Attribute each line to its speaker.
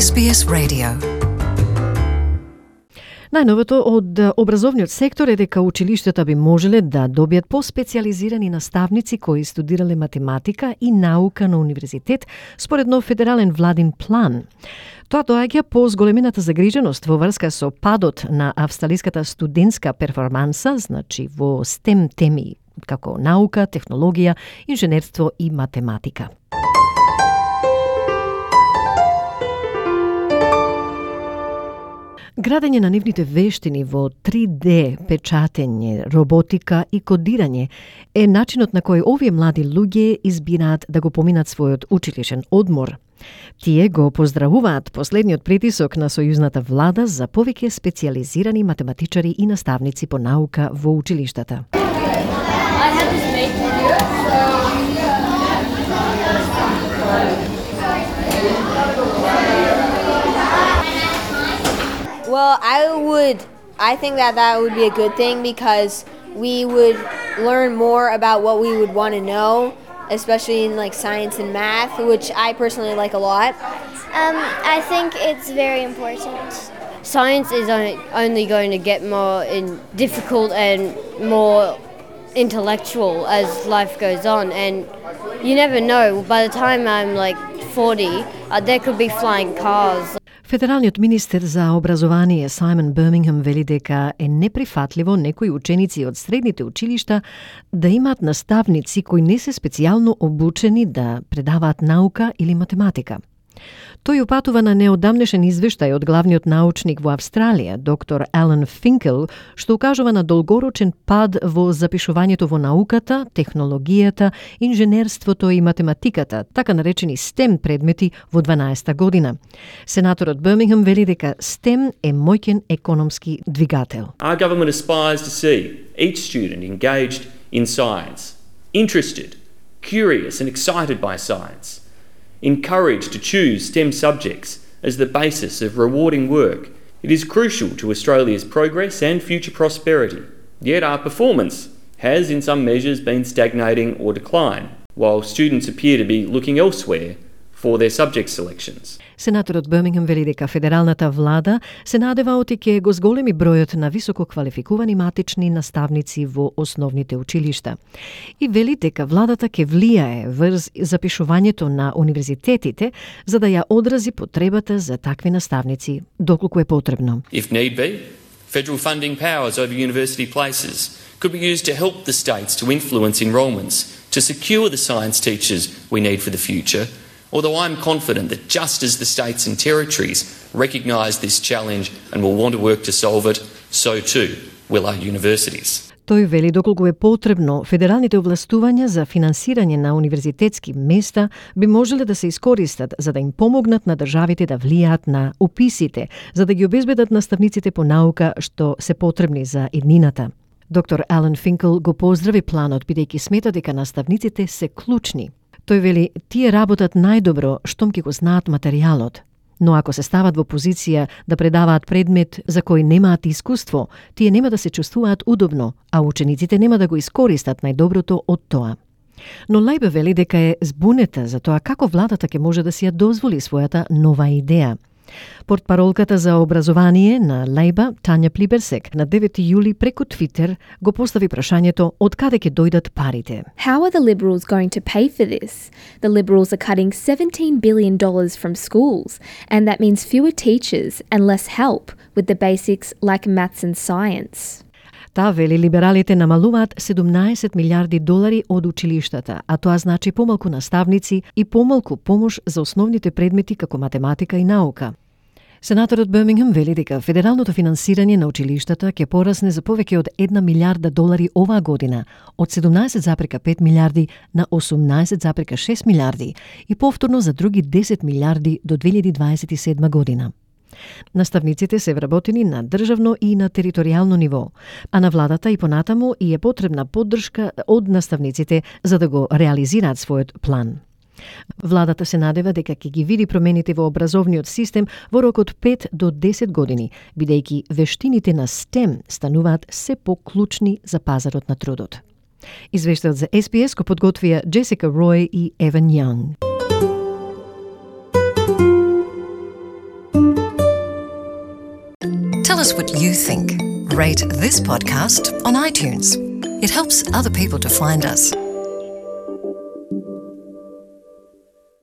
Speaker 1: SBS Radio.
Speaker 2: Најновото од образовниот сектор е дека училиштата би можеле да добијат поспецијализирани наставници кои студирале математика и наука на универзитет според нов федерален владин план. Тоа доаѓа по зголемената загриженост во врска со падот на австралиската студентска перформанса, значи во STEM теми како наука, технологија, инженерство и математика. Градење на нивните вештини во 3D, печатење, роботика и кодирање е начинот на кој овие млади луѓе избираат да го поминат својот училишен одмор. Тие го поздравуваат последниот притисок на сојузната влада за повеќе специјализирани математичари и наставници по наука во училиштата.
Speaker 3: Well, I think that would be a good thing because we would learn more about what we would want to know, especially in like science and math, which I personally like a lot.
Speaker 4: I think it's very important.
Speaker 5: Science is only going to get more difficult and more intellectual as life goes on, and you never know, by the time I'm like 40, there could be flying cars.
Speaker 2: Федералниот министер за образование Саймон Бирмингем вели дека е неприфатливо некои ученици од средните училишта да имаат наставници кои не се специјално обучени да предаваат наука или математика. Тој упатува на неодамнешен извештај од главниот научник во Австралија, доктор Алан Финкел, што укажува на долгорочен пад во запишувањето во науката, технологијата, инженерството и математиката, така наречени STEM предмети во 12-та година. Сенаторот Бирмингем вели дека STEM е моќен економски двигател.
Speaker 6: Our government aspires to see each student engaged in science, interested, curious and excited by science. Encouraged to choose STEM subjects as the basis of rewarding work. It is crucial to Australia's progress and future prosperity. Yet our performance has in some measures been stagnating or decline, while students appear to be looking elsewhere for their subject selections.
Speaker 2: Сенаторот Бирмингем вели дека федералната влада се надева оти ќе го зголеми бројот на високо квалификувани матични наставници во основните училишта. И вели дека владата ќе влијае врз запишувањето на универзитетите за да ја одрази потребата за такви наставници доколку е потребно.
Speaker 6: If need be, federal funding powers over university places could be used to help the states to influence enrolments, to secure the science teachers we need for the future. Although I'm confident that just as the states and territories recognise this challenge and will want to work to solve it, so too will our universities.
Speaker 2: Тој вели доколку е потребно, федералните овластувања за финансирање на универзитетски места би можеле да се искористат за да им помогнат на државите да влијаат на уписите, за да ги обезбедат наставниците по наука што се потребни за иднината. Доктор Алан Финкел го поздрави планот бидејќи смета дека наставниците се клучни. Тој вели, тие работат најдобро штом ќе го знаат материјалот. Но ако се стават во позиција да предаваат предмет за кој немаат искуство, тие нема да се чувствуваат удобно, а учениците нема да го искористат најдоброто од тоа. Но Лајбе вели дека е збунета за тоа како владата ќе може да си ја дозволи својата нова идеја. Портпаролката за образование на Лајба, Тања Плиберсек, на 9 јули преку Твитер го постави прашањето од каде ќе дојдат парите.
Speaker 7: How are the Liberals going to pay for this? The Liberals are cutting $17 billion from schools, and that means fewer teachers and less help with the basics like maths and science.
Speaker 2: Таа вели либералите намалуваат $17 милиарди од училиштата, а тоа значи помалку наставници и помалку помош за основните предмети како математика и наука. Сенаторот Бирмингем вели дека федералното финансирање на училиштата ќе порасне за повеќе од $1 милиарда оваа година, од 17,5 милиарди на 18,6 милиарди и повторно за други 10 милиарди до 2027 година. Наставниците се вработени на државно и на територијално ниво, а на владата и понатаму и е потребна поддршка од наставниците за да го реализираат својот план. Владата се надева дека ќе ги види промените во образовниот систем во рок од 5 до 10 години, бидејќи вештините на STEM стануваат се поклучни за пазарот на трудот. Извештајот за SBS го подготвија Джесика Рој и Еван Јанг.
Speaker 1: Tell us what you think. Rate this podcast on iTunes. It helps other people to find us.